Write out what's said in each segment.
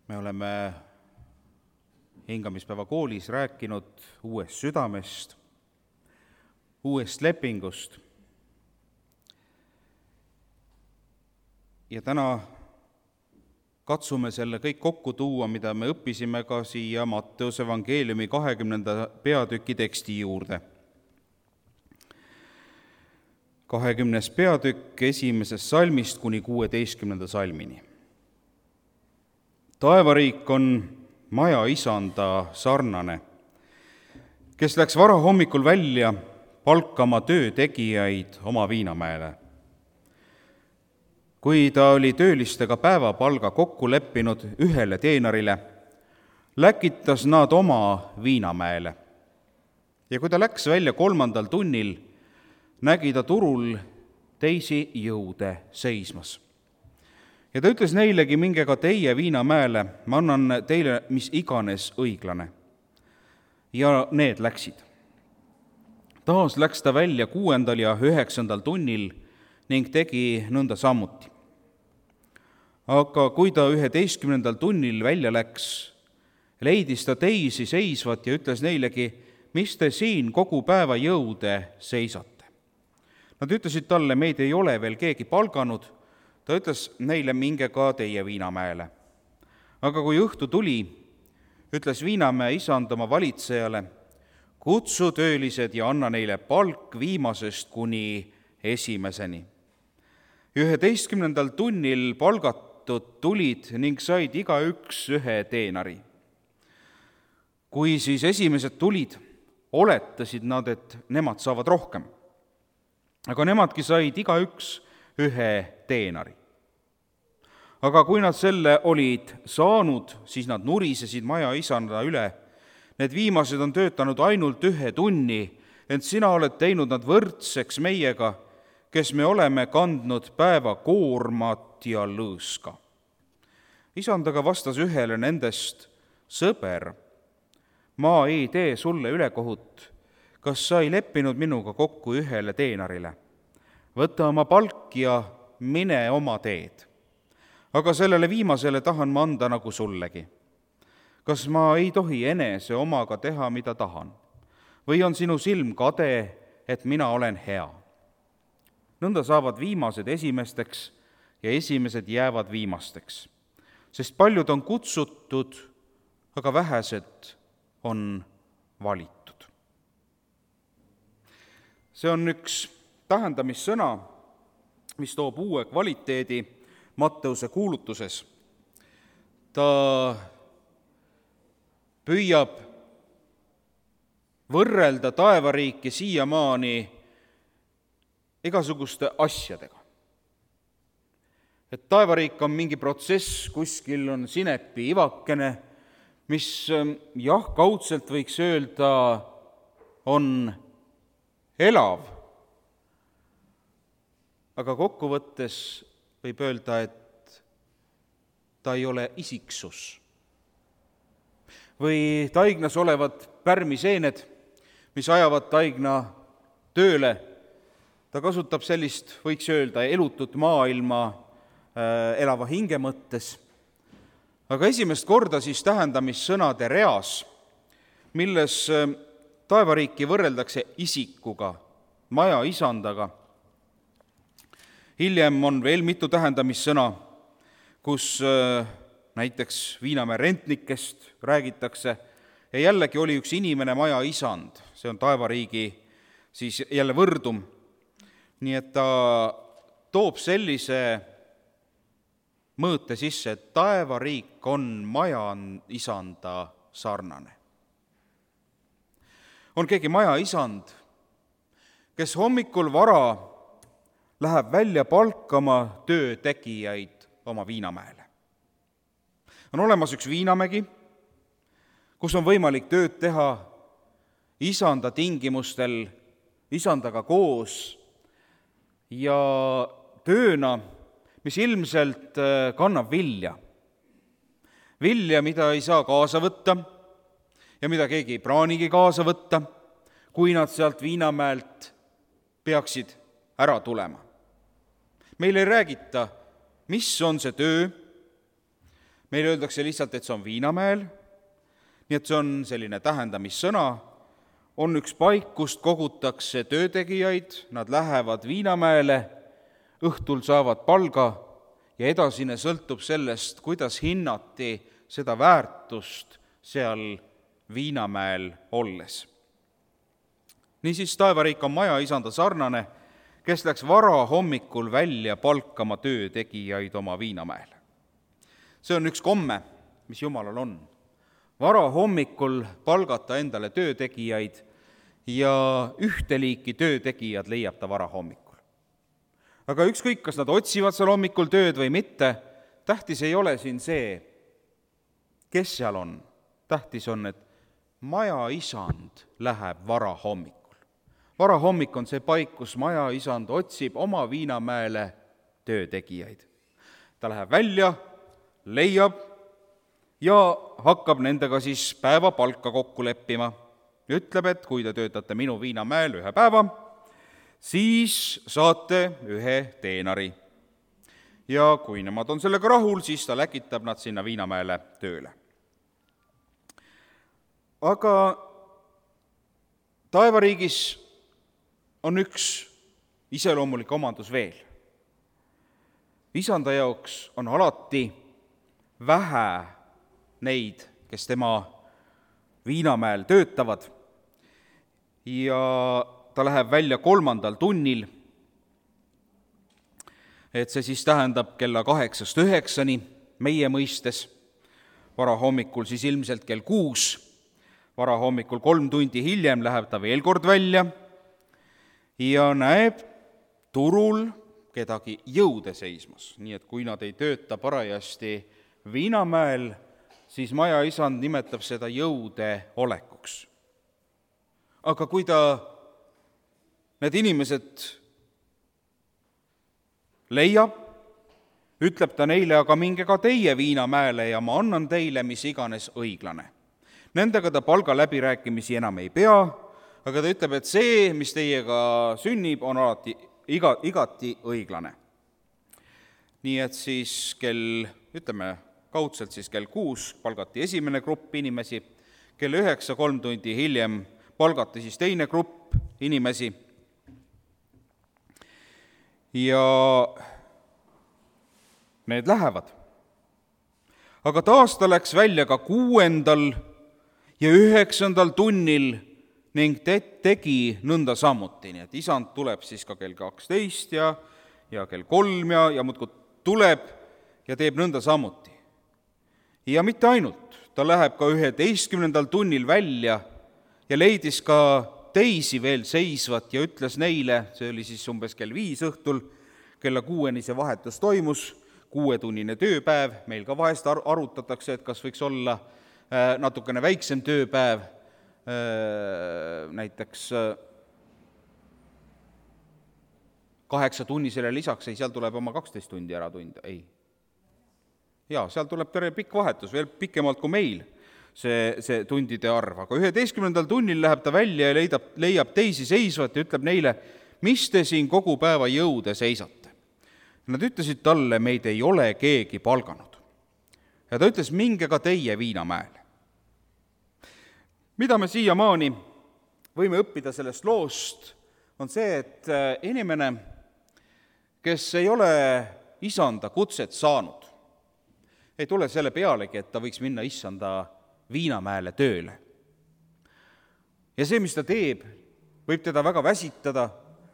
Me oleme hingamispäeva koolis rääkinud uuest südamest, uuest lepingust. Ja täna katsume selle kõik kokku tuua, mida me õppisime ka siia Matteuse evangeeliumi 20. peatüki teksti juurde. 20. peatükk 1. salmist kuni 16. salmini. Taevariik on maja isanda sarnane, kes läks varahommikul välja palkama töötegijaid oma viinamäele. Kui ta oli töölistega päevapalga kokku leppinud ühele teenarile, läkitas nad oma viinamäele. Ja kui ta läks välja 3. tunnil, nägi ta turul teisi jõude seismas. Ja ta ütles neilegi, minge ka teie viinamäele, ma annan teile mis iganes õiglane. Ja need läksid. Taas läks ta välja 6. ja 9. tunnil ning tegi nõnda sammuti. Aga kui ta 11. tunnil välja läks, leidis ta teisi seisvat ja ütles neilegi, mis te siin kogu päeva jõude seisate. Nad ütlesid talle, meid ei ole veel keegi palganud. Ta ütles neile, minge ka teie viinamäele. Aga kui õhtu tuli, ütles viinamäe isand oma valitsejale, kutsu töölised ja anna neile palk viimasest kuni esimeseni. 11. tunnil palgatud tulid ning said igaüks ühe teenari. Kui siis esimesed tulid, oletasid nad, et nemad saavad rohkem. Aga nemadki said igaüks ühe teenari. Aga kui nad selle olid saanud, siis nad nurisesid maja isanda üle. Need viimased on töötanud ainult 1 tunni, ent sina oled teinud nad võrdseks meiega, kes me oleme kandnud päeva koormat ja lõõska. Isand aga vastas ühele nendest, sõber, ma ei tee sulle ülekohut, kas sa ei leppinud minuga kokku ühele teenarile? Võta oma palk ja mine oma teed. Aga sellele viimasele tahan ma anda nagu sullegi. Kas ma ei tohi enese omaga teha, mida tahan? Või on sinu silm kade, et mina olen hea? Nõnda saavad viimased esimesteks ja esimesed jäävad viimasteks. Sest paljud on kutsutud, aga vähesed on valitud. See on üks tähendamissõna, mis toob uue kvaliteedi Matteuse kuulutuses. Ta püüab võrrelda taevariiki siiamaani igasuguste asjadega. Et taevariik on mingi protsess, kuskil on sinepi ivakene, mis kaudselt võiks öelda, on elav. Aga kokkuvõttes võib öelda, et ta ei ole isiksus. Või taignas olevad pärmiseened, mis ajavad taigna tööle, ta kasutab sellist, võiks öelda, elutut maailma elava hinge mõttes. Aga esimest korda siis tähendamissõnade reas, milles taevariiki võrreldakse isikuga, maja isandaga. Hiljem on veel mitu tähendamissõna, kus näiteks viinamäe rentnikest räägitakse ja jällegi oli üks inimene maja isand, see on taevariigi siis jälle võrdum. Nii et ta toob sellise mõõte sisse, et taevariik on maja isanda sarnane. On keegi maja isand, kes hommikul vara läheb välja palkama töötegijaid oma viinamäele. On olemas üks viinamägi, kus on võimalik tööd teha isanda tingimustel, isandaga koos ja tööna, mis ilmselt kannab vilja. Vilja, mida ei saa kaasa võtta ja mida keegi ei praanigi kaasa võtta, kui nad sealt viinamäelt peaksid ära tulema. Meil ei räägita, mis on see töö, Meil öeldakse lihtsalt, et see on Viinamäel, nii et see on selline tähendamissõna, on üks paik, kust kogutakse töötegijaid, nad lähevad Viinamäele, õhtul saavad palga ja edasine sõltub sellest, kuidas hinnati seda väärtust seal Viinamäel olles. Niisiis taevariik on majaisanda sarnane, kes läks varahommikul välja palkama töötegijaid oma Viinamäele. See on üks komme, mis Jumalal on. Varahommikul palgata endale töötegijaid ja ühte liiki töötegijad leiab ta varahommikul. Aga ükskõik, kas nad otsivad seal hommikul tööd või mitte, tähtis ei ole siin see, kes seal on. Tähtis on, et majaisand läheb varahommikul. Varahommik on see paik, kus majaisand otsib oma Viinamäele töötegijaid. Ta läheb välja, leiab ja hakkab nendega siis päevapalka kokku leppima. Ütleb, et kui te töötate minu Viinamäel 1 päeva, siis saate 1 teenari. Ja kui nemad on sellega rahul, siis ta läkitab nad sinna Viinamäele tööle. Aga taevariigis on üks iseloomulik omandus veel. Isanda jaoks on alati vähe neid, kes tema Viinamäel töötavad ja ta läheb välja 3. tunnil, et see siis tähendab kella 8-9 meie mõistes, varahommikul siis ilmselt kell 6, varahommikul 3 tundi hiljem läheb ta veel kord välja ja näeb turul kedagi jõude seismas, nii et kui nad ei tööta parajasti Viinamäel, siis majaisand nimetab seda jõude olekuks. Aga kui need inimesed leiab, ütleb ta neile, aga minge ka teie Viinamäele ja ma annan teile mis iganes õiglane. Nendega ta palgaläbirääkimisi enam ei pea, aga ta ütleb, et see, mis teiega sünnib, on alati igati õiglane. Nii et siis kaudselt siis kell 6 palgati esimene grupp inimesi, kell 9 3 tundi hiljem palgati siis teine grupp inimesi ja need lähevad. Aga taas ta läks välja ka 6. ja 9. tunnil ning tegi nõnda samuti, nii et isand tuleb siis ka kell 12 ja kell 3 ja muudkui tuleb ja teeb nõnda samuti. Ja mitte ainult, ta läheb ka 11. tunnil välja ja leidis ka teisi veel seisvat ja ütles neile, see oli siis umbes kell 5 õhtul, kella 6 see vahetus toimus, 6-tunnine tööpäev, meil ka vahest arutatakse, et kas võiks olla natukene väiksem tööpäev, näiteks 8-tunnisele lisaks, seal tuleb oma 12 tundi ära tunda, ei. Jaa, seal tuleb terve pikk vahetus, veel pikemalt kui meil see tundide arv, aga 11. tunnil läheb ta välja ja leiab teisi seisvat ja ütleb neile, mis te siin kogu päeva jõude seisate. Nad ütlesid talle, meid ei ole keegi palganud. Ja ta ütles, minge ka teie Viinamäele. Mida me siiamaani võime õppida sellest loost, on see, et inimene, kes ei ole isanda kutset saanud, ei tule selle pealegi, et ta võiks minna isanda Viinamäele tööle. Ja see, mis ta teeb, võib teda väga väsitada,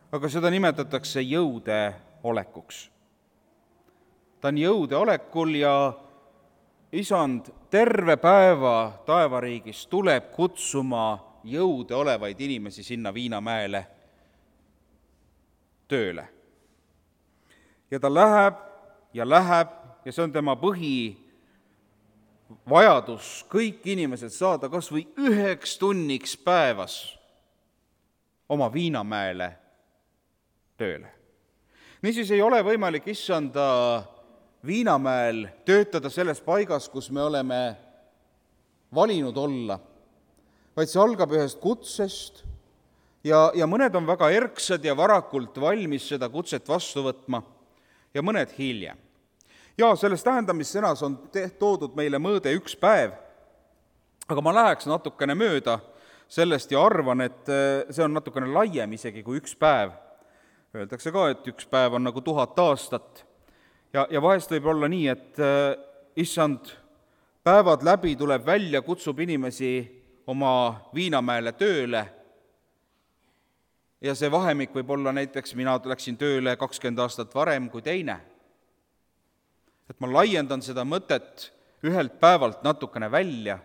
aga seda nimetatakse jõude olekuks. Ta on jõude olekul ja isand terve päeva taevariigis tuleb kutsuma jõude olevaid inimesi sinna Viinamäele tööle. Ja ta läheb ja see on tema vajadus kõik inimesed saada kas või 1 tunniks päevas oma Viinamäele tööle. Niisiis ei ole võimalik issanda Viinamäel töötada selles paigas, kus me oleme valinud olla, vaid see algab ühest kutsest ja mõned on väga erksad ja varakult valmis seda kutset vastu võtma ja mõned hiljem. Ja selles tähendamissõnas on toodud meile mõõde 1 päev, aga ma läheks natukene mööda sellest ja arvan, et see on natukene laiem isegi kui 1 päev. Öeldakse ka, et 1 päev on nagu 1000 aastat. Ja vahest võib olla nii, et issand päevad läbi tuleb välja, kutsub inimesi oma Viinamäele tööle ja see vahemik võib olla näiteks, mina läksin tööle 20 aastat varem kui teine. Et ma laiendan seda mõtet ühelt päevalt natukene välja,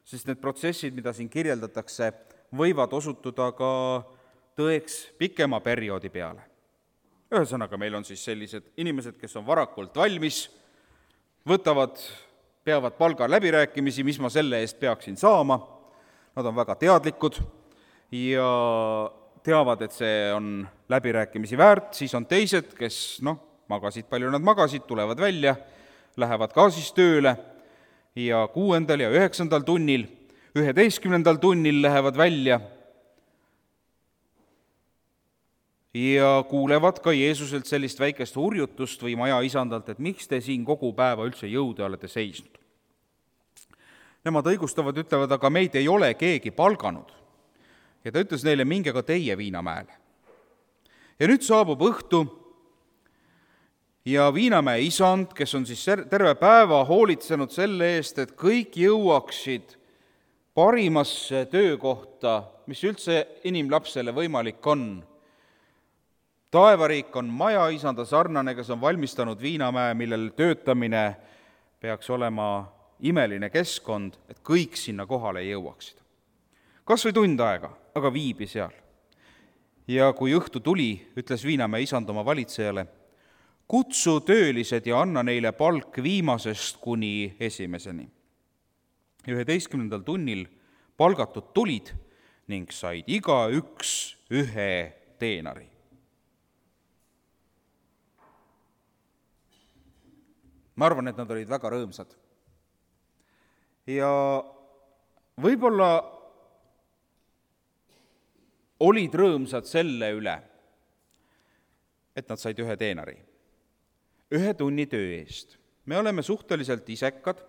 sest need protsessid, mida siin kirjeldatakse, võivad osutuda ka tõeks pikema perioodi peale. Ühesõnaga, meil on siis sellised inimesed, kes on varakult valmis, peavad palga läbirääkimisi, mis ma selle eest peaksin saama, nad on väga teadlikud ja teavad, et see on läbirääkimisi väärt, siis on teised, kes magasid, palju nad magasid, tulevad välja, lähevad ka siis tööle ja 6. ja 9. tunnil, 11. tunnil lähevad välja ja kuulevad ka Jeesuselt sellist väikest hurjutust või maja isandalt, et miks te siin kogu päeva üldse jõude olete seisnud. Nemad õigustavad, ütlevad, aga meid ei ole keegi palganud. Ja ta ütles neile, minge ka teie Viinamäele. Ja nüüd saabub õhtu ja Viinamäe isand, kes on siis terve päeva hoolitsenud selle eest, et kõik jõuaksid parimasse töökohta, mis üldse inimlapsele võimalik on. Taevariik on maja isanda sarnane, kes on valmistanud Viinamäe, millel töötamine peaks olema imeline keskkond, et kõik sinna kohale jõuaksid. Kas või tund aega, aga viibi seal. Ja kui õhtu tuli, ütles Viinamäe isand oma valitsejale, kutsu töölised ja anna neile palk viimasest kuni esimeseni. 11. tunnil palgatud tulid ning said igaüks 1 teenari. Ma arvan, et nad olid väga rõõmsad. Ja võib-olla olid rõõmsad selle üle, et nad said 1 teenari, 1 tunni töö eest. Me oleme suhteliselt isekad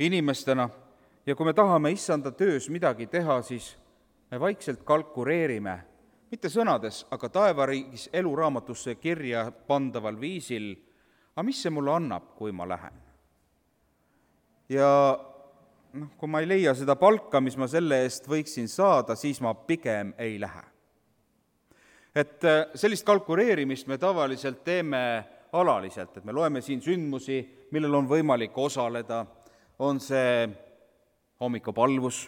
inimestena ja kui me tahame issanda töös midagi teha, siis me vaikselt kalkuleerime, mitte sõnades, aga taevariigis eluraamatusse kirja pandaval viisil, aga mis see mulle annab, kui ma lähen? Ja kui ma ei leia seda palka, mis ma selle eest võiksin saada, siis ma pigem ei lähe. Et sellist kalkuleerimist me tavaliselt teeme alaliselt, et me loeme siin sündmusi, millel on võimalik osaleda, on see hommikupalvus.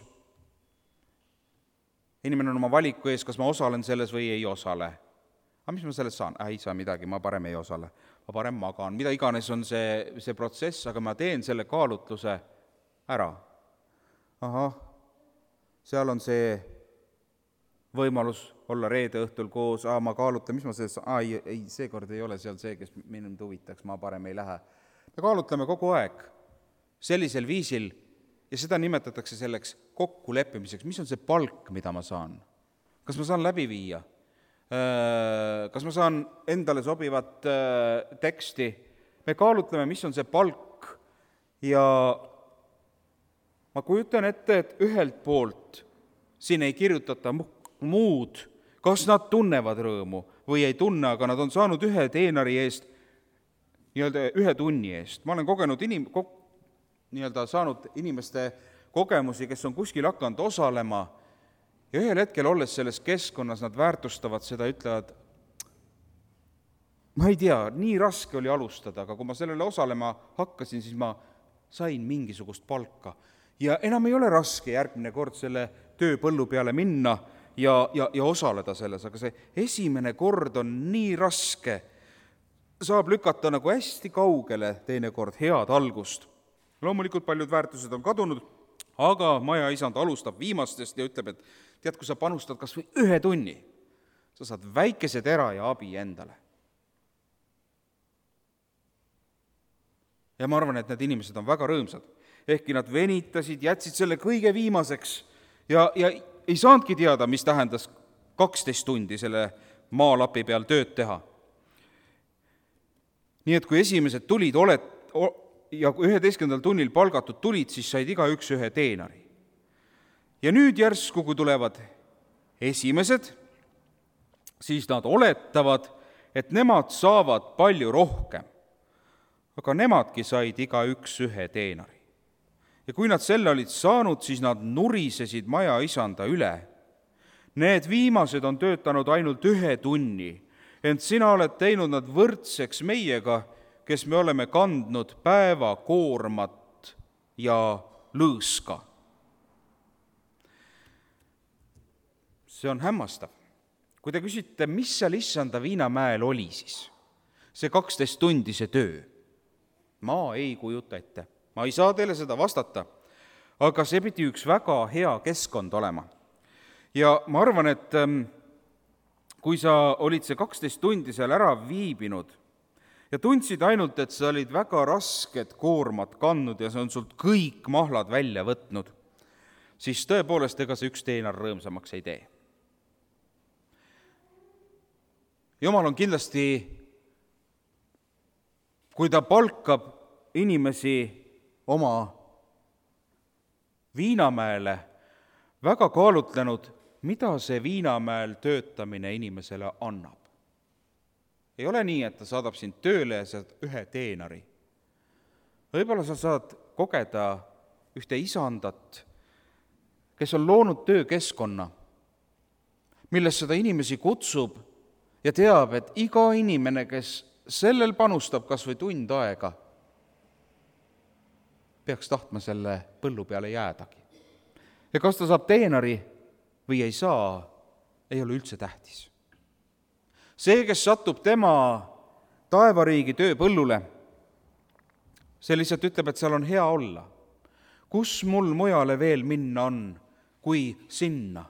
Inimene on oma valiku ees, kas ma osalen selles või ei osale. Aga mis ma sellest saan? Ei saa midagi, ma parem ei osale, ma parem magan. Mida iganes on see protsess, aga ma teen selle kaalutluse ära. Ahah, seal on see võimalus olla reede õhtul koos, ma kaalutlen, mis ma selles, ei, seekord ei ole seal see, kes mind huvitaks, ma parem ei lähe. Me kaalutleme kogu aeg sellisel viisil ja seda nimetatakse selleks kokkuleppimiseks, mis on see palk, mida ma saan. Kas ma saan läbi viia? Kas ma saan endale sobivat teksti? Me kaalutleme, mis on see palk ja ma kujutan ette, et ühelt poolt siin ei kirjutata muud, kas nad tunnevad rõõmu või ei tunne, aga nad on saanud 1 teenari eest, nii-öelda 1 tunni eest. Ma olen kogenud saanud inimeste kogemusi, kes on kuskil hakanud osalema ja ühel hetkel olles selles keskkonnas nad väärtustavad seda, ütlevad, ma ei tea, nii raske oli alustada, aga kui ma sellele osalema hakkasin, siis ma sain mingisugust palka. Ja enam ei ole raske järgmine kord selle tööpõllu peale minna ja osaleda selles, aga see esimene kord on nii raske, saab lükata nagu hästi kaugele teinekord head algust. Loomulikult paljud väärtused on kadunud, aga maja isand alustab viimastest ja ütleb, et tead, kui sa panustad kas või 1 tunni, sa saad väikese tera ja abi endale. Ja ma arvan, et need inimesed on väga rõõmsad. Ehkki nad venitasid, jätsid selle kõige viimaseks ja ei saanudki teada, mis tähendas 12 tundi selle maalapi peal tööd teha. Nii et kui esimesed tulid ja 11. tunnil palgatud tulid, siis said igaüks ühe teenari. Ja nüüd järsku, kui tulevad esimesed, siis nad oletavad, et nemad saavad palju rohkem. Aga nemadki said igaüks ühe teenari. Ja kui nad selle olid saanud, siis nad nurisesid maja isanda üle. Need viimased on töötanud ainult 1 tunni, ent sina oled teinud nad võrdseks meiega, kes me oleme kandnud päeva koormat ja lõõska. See on hämmastav. Kui te küsite, mis seal issanda viinamäel oli siis, see 12 tundi see töö, ma ei kujuta ette. Ma ei saa teile seda vastata, aga see pidi üks väga hea keskkond olema. Ja ma arvan, et kui sa olid see 12 tundi seal ära viibinud ja tundsid ainult, et sa olid väga rasket koormat kandnud ja see on sult kõik mahlad välja võtnud, siis tõepoolest ega see 1 teenar rõõmsamaks ei tee. Jumal on kindlasti, kui ta palkab inimesi oma viinamäele, väga kaalutlenud, mida see viinamäel töötamine inimesele annab. Ei ole nii, et ta saadab sind tööle ja saad 1 teenari. Võib-olla sa saad kogeda ühte isandat, kes on loonud töökeskkonna, milles seda inimesi kutsub ja teab, et iga inimene, kes sellel panustab kas või tund aega, peaks tahtma selle põllu peale jäädagi. Ja kas ta saab teenari või ei saa, ei ole üldse tähtis. See, kes satub tema taevariigi tööpõllule, see lihtsalt ütleb, et seal on hea olla. Kus mul mujale veel minna on, kui sinna?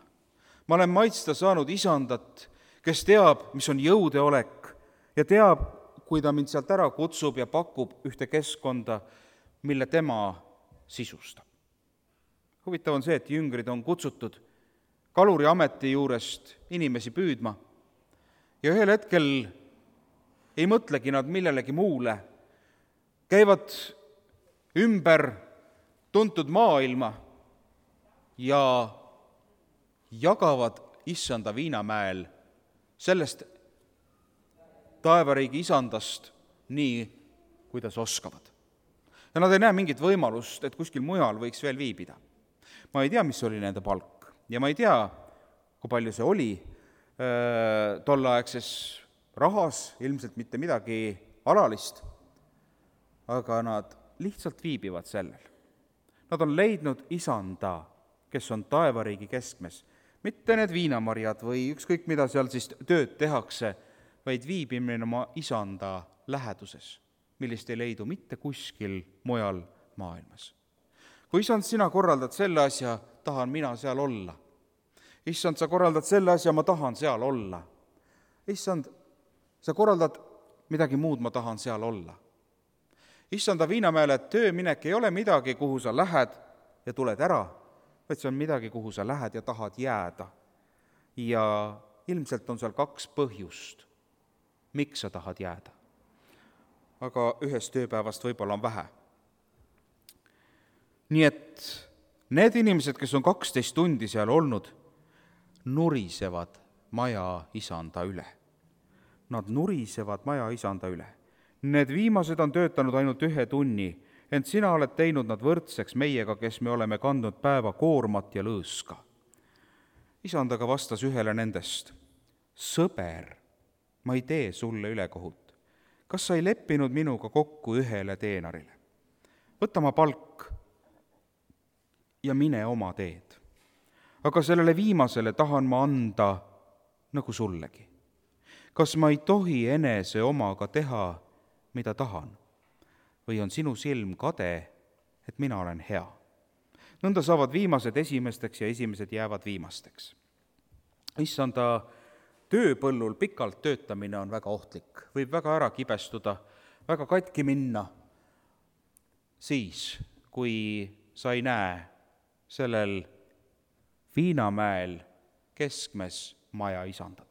Ma olen maitsta saanud isandat, kes teab, mis on jõudeolek ja teab, kui ta mind sealt ära kutsub ja pakub ühte keskkonda, mille tema sisustab. Huvitav on see, et jüngrid on kutsutud kaluri ameti juurest inimesi püüdma ja ühel hetkel ei mõtlegi nad millelegi muule, käivad ümber tuntud maailma ja jagavad issanda viinamäel sellest taevariigi isandast nii, kuidas oskavad. Ja nad ei näe mingit võimalust, et kuskil mujal võiks veel viibida. Ma ei tea, mis oli nende palk ja ma ei tea, kui palju see oli tolleaegses rahas, ilmselt mitte midagi alalist, aga nad lihtsalt viibivad sellel. Nad on leidnud isanda, kes on taevariigi keskmes, mitte need viinamarjad või ükskõik mida seal siis tööd tehakse, vaid viibimine oma isanda läheduses, millist ei leidu mitte kuskil mujal maailmas. Kui isand, sina korraldad selle asja, tahan mina seal olla. Issand, sa korraldad selle asja, ma tahan seal olla. Issand, sa korraldad midagi muud, ma tahan seal olla. Issanda viinamäele tööminek ei ole midagi, kuhu sa lähed ja tuled ära, vaid see on midagi, kuhu sa lähed ja tahad jääda. Ja ilmselt on seal 2 põhjust, miks sa tahad jääda. Aga 1 tööpäevast võib-olla on vähe. Nii et need inimesed, kes on 12 tundi seal olnud, nurisevad maja isanda üle. Nad nurisevad maja isanda üle. Need viimased on töötanud ainult 1 tunni, ent sina oled teinud nad võrdseks meiega, kes me oleme kandnud päeva koormat ja lõõska. Isand aga vastas ühele nendest, sõber, ma ei tee sulle ülekohut. Kas sa ei leppinud minuga kokku 1 teenarile? Võta ma palk ja mine oma teed. Aga sellele viimasele tahan ma anda nagu sullegi. Kas ma ei tohi enese omaga teha, mida tahan? Või on sinu silm kade, et mina olen hea? Nõnda saavad viimased esimesteks ja esimesed jäävad viimasteks. Issanda tööpõllul pikalt töötamine on väga ohtlik. Võib väga ära kibestuda, väga katki minna siis, kui sa ei näe sellel viinamäel keskmes maja isandat.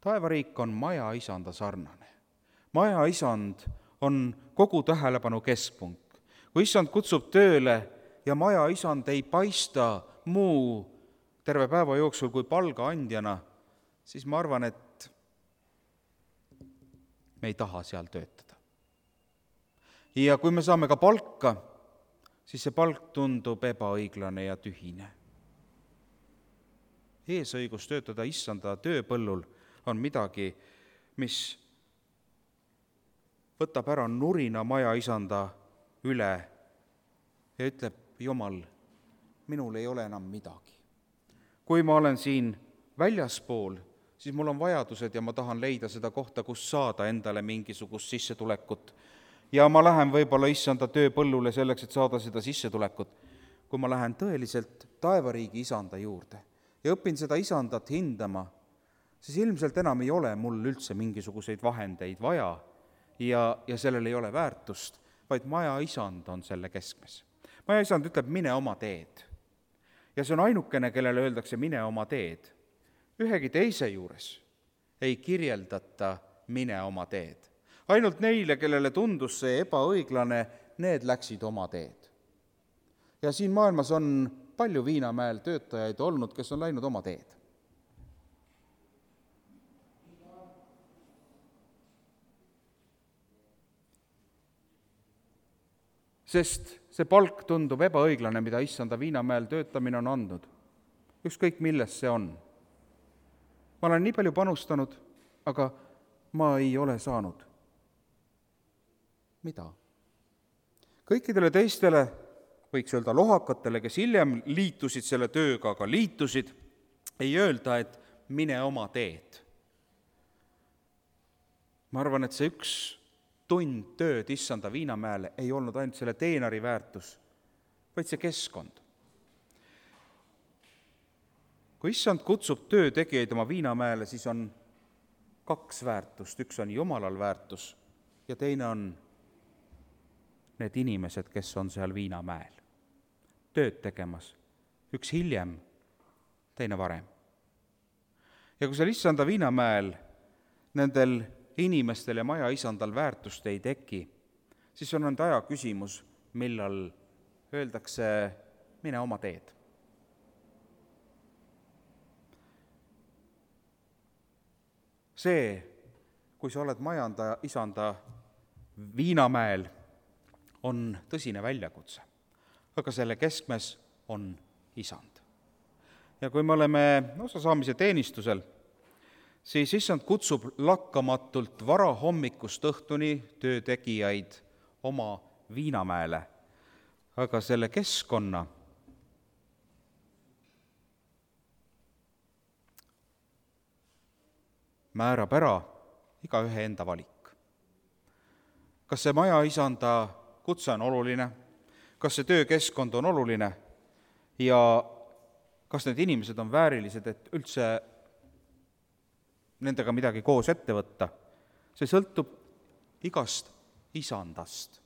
Taevariik on maja isanda sarnane. majaisand on kogu tähelepanu keskpunkt. Kui issand kutsub tööle ja majaisand ei paista muu terve päeva jooksul kui palga andjana, siis ma arvan, et me ei taha seal töötada. Ja kui me saame ka palka, siis see palk tundub ebaõiglane ja tühine. Eesõigus töötada issanda tööpõllul on midagi, mis võtab ära nurina majaisanda üle ja ütleb, Jumal, minul ei ole enam midagi. Kui ma olen siin väljaspool, siis mul on vajadused ja ma tahan leida seda kohta, kus saada endale mingisugust sissetulekut. Ja ma lähen võib-olla issanda tööpõllule selleks, et saada seda sissetulekut. Kui ma lähen tõeliselt taevariigi isanda juurde ja õpin seda isandat hindama, siis ilmselt enam ei ole mul üldse mingisuguseid vahendeid vaja ja sellel ei ole väärtust, vaid majaisand on selle keskmes. Majaisand ütleb, mine oma teed. Ja see on ainukene, kellele öeldakse, mine oma teed. Ühegi teise juures ei kirjeldata mine oma teed. Ainult neile, kellele tundus see ebaõiglane, need läksid oma teed. Ja siin maailmas on palju Viinamäel töötajaid olnud, kes on läinud oma teed. Sest see palk tundub ebaõiglane, mida issanda Viinamäel töötamine on andnud. Ükskõik milles see on. Ma olen nii palju panustanud, aga ma ei ole saanud. Mida? Kõikidele teistele, võiks öelda lohakatele, kes hiljem liitusid selle tööga, aga liitusid, ei öelda, et mine oma teed. Ma arvan, et see üks tund tööd issanda Viinamäele ei olnud ainult selle teenari väärtus, vaid see keskkond. Kui issand kutsub töötegijaid oma Viinamäele, siis on kaks väärtust. Üks on Jumalal väärtus ja teine on need inimesed, kes on seal Viinamäel tööd tegemas. Üks hiljem, teine varem. Ja kui seal issanda Viinamäel nendel inimestel ja majaisandal väärtust ei teki, siis on aja küsimus, millal öeldakse, mine oma teed. See, kui sa oled isanda Viinamäel, on tõsine väljakutse, aga selle keskmes on isand. Ja kui me oleme osasaamise teenistusel, siis issand kutsub lakkamatult varahommikust õhtuni töötegijaid oma Viinamäele, aga selle keskkonna määrab ära igaühe enda valik. Kas see majaisanda kutse on oluline, kas see töökeskkond on oluline ja kas need inimesed on väärilised, et üldse nendega midagi koos ette võtta. See sõltub igast isandast,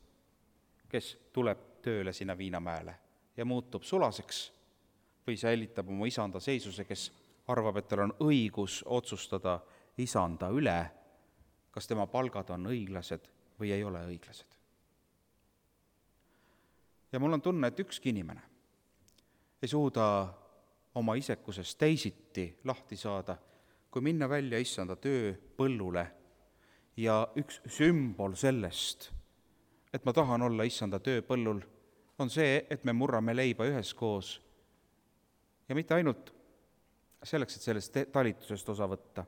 kes tuleb tööle sinna Viinamäele ja muutub sulaseks või säilitab oma isanda seisuse, kes arvab, et tal on õigus otsustada isanda üle, kas tema palgad on õiglased või ei ole õiglased. Ja mul on tunne, et ükski inimene ei suuda oma isekusest teisiti lahti saada, kui minna välja issanda tööpõllule ja üks sümbol sellest, et ma tahan olla issanda tööpõllul, on see, et me murrame leiba üheskoos ja mitte ainult selleks, et sellest talitusest osa võtta,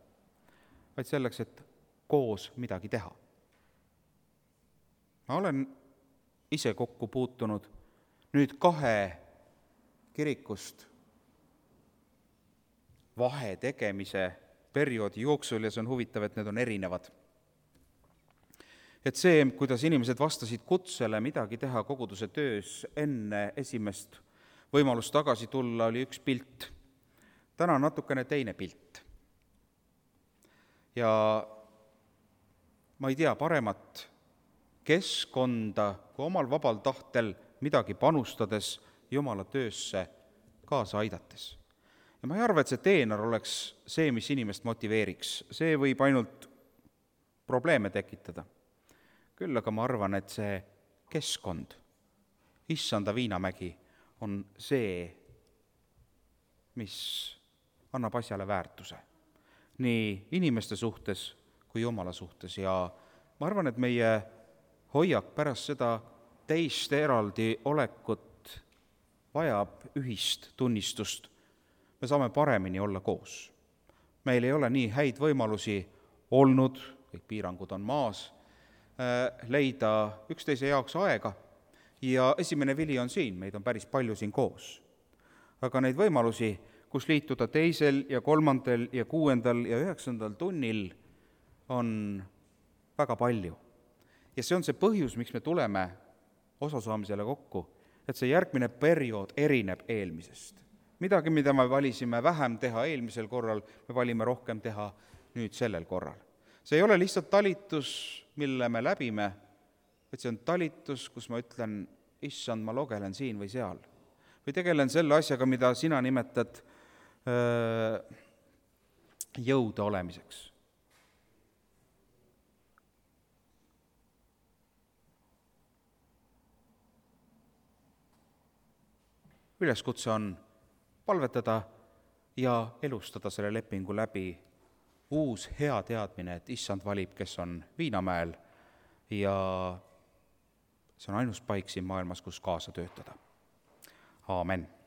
vaid selleks, et koos midagi teha. Ma olen ise kokku puutunud nüüd 2 kirikust vahe tegemise perioodi jooksul ja see on huvitav, et need on erinevad. Et see, kuidas inimesed vastasid kutsele midagi teha koguduse töös enne esimest võimalust tagasi tulla, oli üks pilt. Täna on natukene teine pilt. Ja ma ei tea paremat keskkonda, kui omal vabal tahtel midagi panustades Jumala töösse kaasa aidates. Ja ma ei arva, et see teener oleks see, mis inimest motiveeriks. See võib ainult probleeme tekitada. Küll aga ma arvan, et see keskkond, issanda viinamägi, on see, mis annab asjale väärtuse nii inimeste suhtes kui Jumala suhtes. Ja ma arvan, et meie hoiak pärast seda teist eraldi olekut vajab ühist tunnistust. Me saame paremini olla koos. Meil ei ole nii häid võimalusi olnud, kõik piirangud on maas, leida üksteise jaoks aega ja esimene vili on siin, meid on päris palju siin koos. Aga neid võimalusi, kus liituda 2. ja 3. ja 6. ja 9. tunnil, on väga palju. Ja see on see põhjus, miks me tuleme osasaamisele kokku, et see järgmine periood erineb eelmisest. Midagi, mida me valisime vähem teha eelmisel korral, me valime rohkem teha nüüd sellel korral. See ei ole lihtsalt talitus, mille me läbime, vaid see on talitus, kus ma ütlen, issand, ma logelen siin või seal. Või tegelen selle asjaga, mida sina nimetad jõude olemiseks. Üleskutse on palvetada ja elustada selle lepingu läbi uus hea teadmine, et issand valib, kes on Viinamäel ja see on ainus paik siin maailmas, kus kaasa töötada. Aamen.